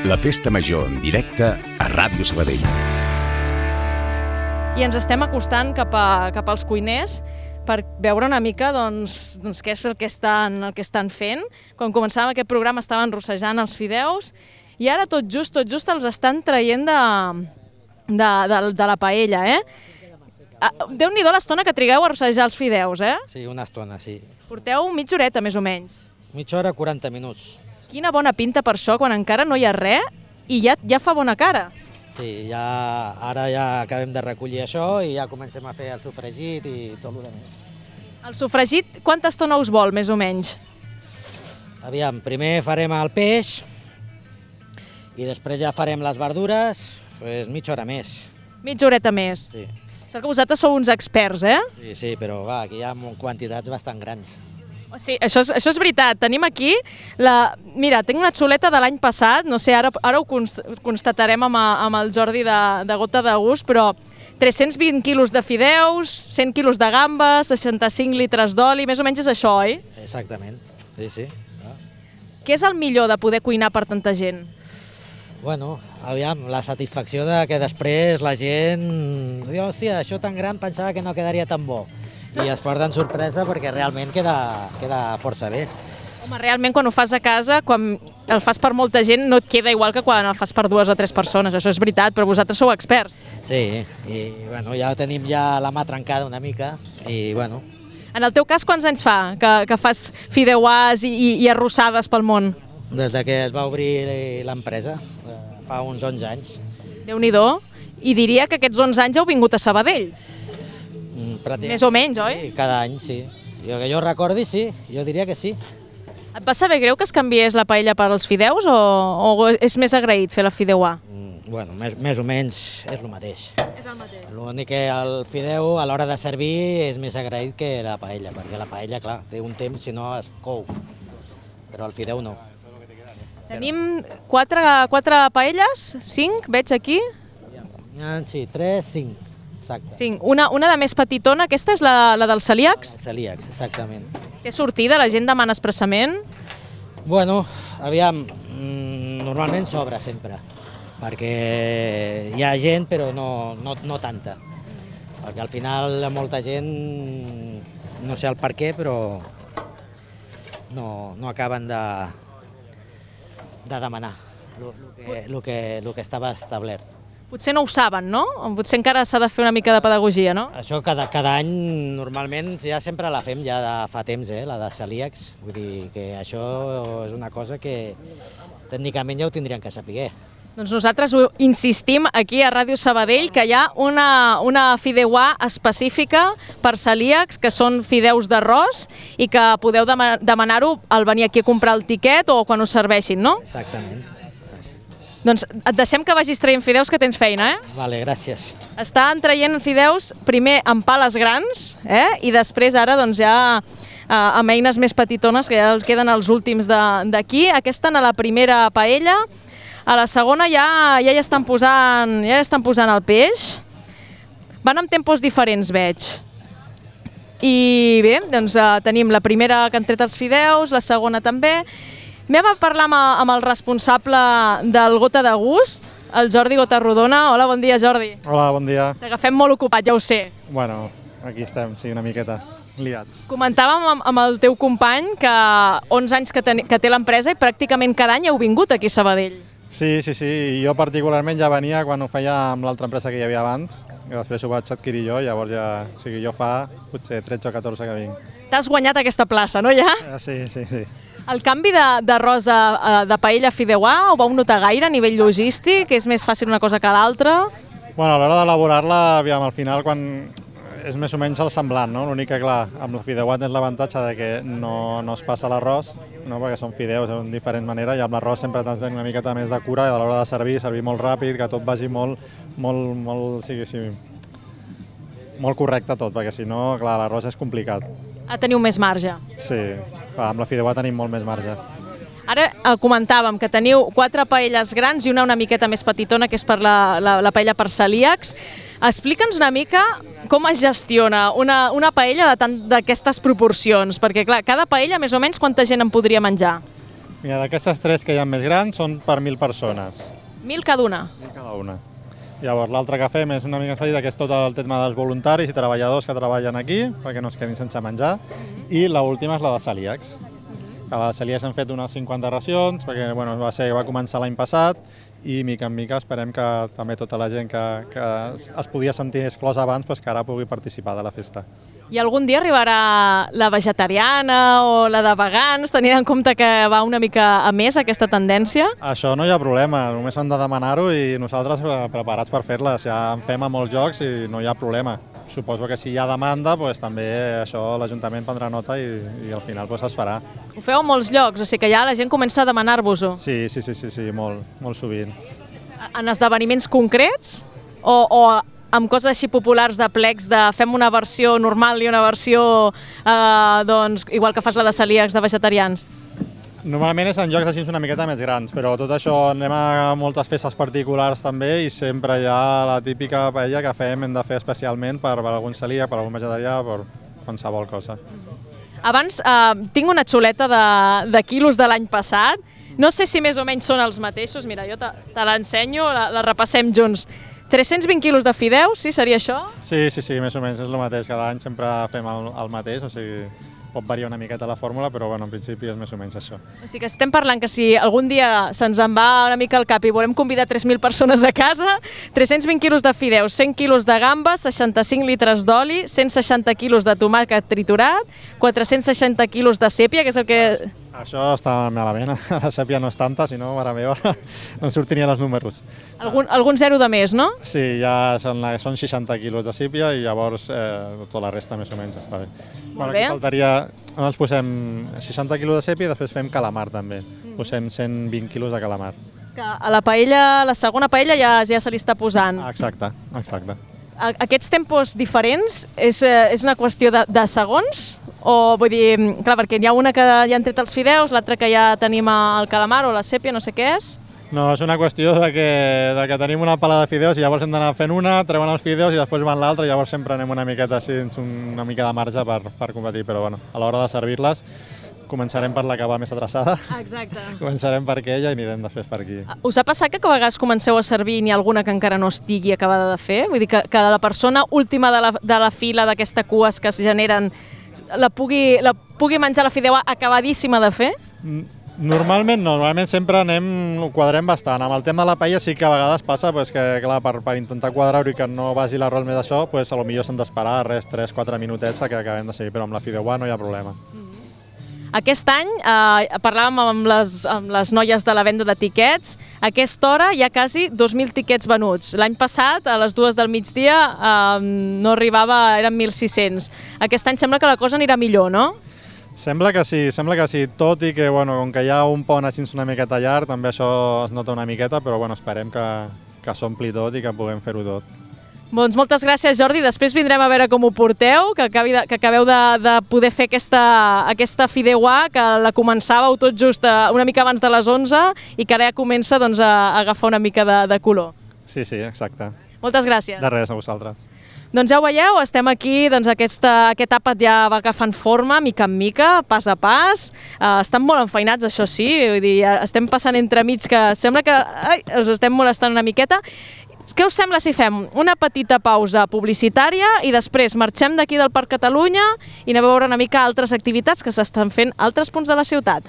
La Festa Major en directe a Ràdio Sabadell. I ens estem acostant cap als cuiners per veure una mica doncs, què és el que estan fent. Quan començàvem aquest programa estaven rossejant els fideus i ara tot just els estan traient de la paella, eh? Déu-n'hi-do l'estona que trigueu a rossejar els fideus, eh? Sí, una estona, sí. Porteu mitja horeta, més o menys. Mitja hora, 40 minuts. Quina bona pinta per això, quan encara no hi ha res i ja fa bona cara. Sí, ara ja acabem de recollir això i ja comencem a fer el sofregit i tot el que més. El sofregit, quanta estona us vol, més o menys? Aviam, primer farem el peix i després ja farem les verdures, doncs mitja hora més. Mitja horeta més. Sí. Sóc que vosaltres sou uns experts, eh? Sí, però va, aquí hi ha quantitats bastant grans. Sí, això és veritat. Tenim aquí Mira, tinc una xuleta de l'any passat, no sé, ara ho constatarem amb el Jordi de Gota de Gust, però 320 quilos de fideus, 100 quilos de gambes, 65 litres d'oli, més o menys és això, oi? Exactament, sí. Què és el millor de poder cuinar per tanta gent? Bueno, aviam, la satisfacció de que després la gent diu, hòstia, això tan gran pensava que no quedaria tan bo. I es porten sorpresa perquè realment queda força bé. Home, realment quan ho fas a casa, quan el fas per molta gent, no et queda igual que quan el fas per 2 o 3 persones, això és veritat, però vosaltres sou experts. Sí, i bueno, ja tenim ja la mà trencada una mica, i bueno. En el teu cas, quants anys fa que fas fideuàs i arrossades pel món? Des que es va obrir l'empresa, fa uns 11 anys. Déu-n'hi-do, i diria que aquests 11 anys heu vingut a Sabadell. Més o menys, oi? Sí, cada any, sí. Que jo recordi, sí, jo diria que sí. Et va saber greu que es canviés la paella per als fideus o és més agraït fer la fideuà? Bueno, més o menys és el mateix. És el mateix. L'únic que el fideu a l'hora de servir és més agraït que la paella, perquè la paella, clar, té un temps, si no es cou, però el fideu no. Tenim 4 paelles, 5, veig aquí. Sí, 3, 5. Exacte. Sí, una de més petitona, aquesta és la dels celíacs? Celíacs, exactament. Té sortida, la gent demana expressament? Bueno, aviam, normalment sobra sempre, perquè hi ha gent però no tanta, perquè al final molta gent, no sé el per què, però no acaben de demanar el que estava establert. Potser no ho saben, no? Potser encara s'ha de fer una mica de pedagogia, no? Això cada any, normalment, ja sempre la fem ja de fa temps, la de celíacs. Vull dir que això és una cosa que tècnicament ja ho tindrien que saber. Doncs nosaltres insistim aquí a Ràdio Sabadell que hi ha una fideuà específica per celíacs, que són fideus d'arròs, i que podeu demanar-ho al venir aquí a comprar el tiquet o quan us serveixin, no? Exactament. Doncs et deixem que vagis traient fideus, que tens feina, eh? Vale, gràcies. Estan traient fideus primer amb pales grans, i després ara doncs ja amb eines més petitones, que ja els queden els últims d'aquí. Aquesta a la primera paella, a la segona ja hi estan posant el peix. Van amb tempos diferents, veig. I bé, doncs tenim la primera que han tret els fideus, la segona també. Anem a parlar amb el responsable del Gota de Gust, el Jordi Gotarrodona. Hola, bon dia, Jordi. Hola, bon dia. T'agafem molt ocupat, ja ho sé. Bueno, aquí estem, sí, una miqueta liats. Comentàvem amb el teu company que 11 anys que té l'empresa i pràcticament cada any heu vingut aquí a Sabadell. Sí, jo particularment ja venia quan ho feia amb l'altra empresa que hi havia abans, i després ho vaig adquirir jo, llavors ja, o sigui, jo fa potser 13 o 14 que vinc. T'has guanyat aquesta plaça, no, ja? Sí. El canvi d'arròs de paella a fideuà ho vau notar gaire a nivell logístic? És més fàcil una cosa que l'altra? Bueno, a l'hora d'elaborar-la, aviam, al final, quan és més o menys el semblant, no? L'únic que, clar, amb el fideuà tens l'avantatge de que no es passa l'arròs, no? Perquè són fideus de diferent manera, i amb l'arròs sempre t'has de tenir una miqueta més de cura, i a l'hora de servir molt ràpid, que tot vagi molt correcte tot, perquè si no, clar, l'arròs és complicat. Teniu més marge. Sí, clar, amb la fideuà tenim molt més marge. Ara comentàvem que teniu 4 paelles grans i una miqueta més petitona, que és per la paella per celíacs. Explica'ns una mica com es gestiona una paella d'aquestes proporcions, perquè clar, cada paella més o menys quanta gent en podria menjar? Mira, d'aquestes 3 que hi ha més grans són per 1.000 persones. 1.000 cada una. 1.000 cada una. Llavors, l'altre que fem és una mica petita, que és tot el tema dels voluntaris i treballadors que treballen aquí, perquè no es quedin sense menjar. I l'última és la de celíacs. A la de celíacs hem fet unes 50 racions, perquè va començar l'any passat, i mica en mica esperem que també tota la gent que es podia sentir exclosa abans, que ara pugui participar de la festa. I algun dia arribarà la vegetariana o la de vegans, tenint en compte que va una mica a més aquesta tendència? Això no hi ha problema, només han de demanar-ho i nosaltres preparats per fer-les. Ja en fem a molts jocs i no hi ha problema. Suposo que si hi ha demanda, també això l'Ajuntament prendrà nota i al final es farà. Ho feu a molts llocs, o sigui que ja la gent comença a demanar-vos-ho. Sí, molt sovint. En esdeveniments concrets o amb coses així populars de plecs de fem una versió normal i una versió igual que fas la de celíacs de vegetarians? Normalment és en llocs així una miqueta més grans, però tot això anem a moltes festes particulars també i sempre hi ha la típica paella que hem de fer especialment per algun celíac, per algun vegetarià, per qualsevol cosa. Abans tinc una xuleta de quilos de l'any passat. No sé si més o menys són els mateixos. Mira, jo te l'ensenyo, la repassem junts. 320 quilos de fideus, sí? Seria això? Sí, més o menys és el mateix. Cada any sempre fem el mateix, o sigui, pot variar una miqueta la fórmula, però en principi és més o menys això. O sigui que estem parlant que si algun dia se'ns en va una mica al cap i volem convidar 3.000 persones a casa, 320 quilos de fideus, 100 quilos de gambes, 65 litres d'oli, 160 quilos de tomàquet triturat, 460 quilos de sèpia, que és el que... Això està malament, la sèpia no és tanta, si no, mare meva, no em sortirien els números. Algun zero de més, no? Sí, ja són 60 quilos de sèpia i llavors tota la resta més o menys està bé. Molt bé. Aquí faltaria, ens posem 60 quilos de sèpia i després fem calamar també. Posem 120 quilos de calamar. Que a la paella, la segona paella ja se li està posant. Exacte. Aquests tempos diferents és una qüestió de segons? O vull dir, clar, perquè hi ha una que ja han tret els fideus, l'altra que ja tenim el calamar o la sèpia, no sé què és. No, és una qüestió de que tenim una pala de fideus i llavors hem d'anar fent una, treuen els fideus i després van l'altra i llavors sempre anem una miqueta així, una mica de marge per competir, però a l'hora de servir-les començarem per la que va més atrasada. Exacte. Començarem per aquella i anirem després per aquí. Us ha passat que a vegades comenceu a servir i n'hi ha alguna que encara no estigui acabada de fer? Vull dir que la persona última de la fila d'aquesta cues que es generen la pugui menjar la fideuà acabadíssima de fer? Normalment no, normalment sempre ho quadrem bastant. Amb el tema de la paella sí que a vegades passa que clar, per intentar quadrar-ho i que no vagi l'arròs més això, potser s'han d'esperar 3-4 minutets que acabem de seguir, però amb la fideuà no hi ha problema. Aquest any parlàvem amb les noies de la venda de tiquets. A aquesta hora hi ha quasi 2.000 tiquets venuts. L'any passat, a les 2 del migdia, no arribava, eren 1.600. Aquest any sembla que la cosa anirà millor, no? Sembla que sí, tot i que com que hi ha un pont així una miqueta llarg, també això es nota una miqueta, però esperem que s'ompli tot i que puguem fer-ho tot. Doncs moltes gràcies, Jordi. Després vindrem a veure com ho porteu, que acabeu de poder fer aquesta fideuà, que la començàveu tot just una mica abans de les 11 i que ara ja comença a agafar una mica de color. Sí, exacte. Moltes gràcies. De res, a vosaltres. Doncs ja ho veieu, estem aquí, aquest àpat ja va agafant forma, mica en mica, pas a pas. Estan molt enfeinats, això sí, vull dir, estem passant entremig que sembla que els estem molestant una miqueta. Què us sembla si fem una petita pausa publicitària i després marxem d'aquí del Parc Catalunya i anem a veure una mica altres activitats que s'estan fent a altres punts de la ciutat?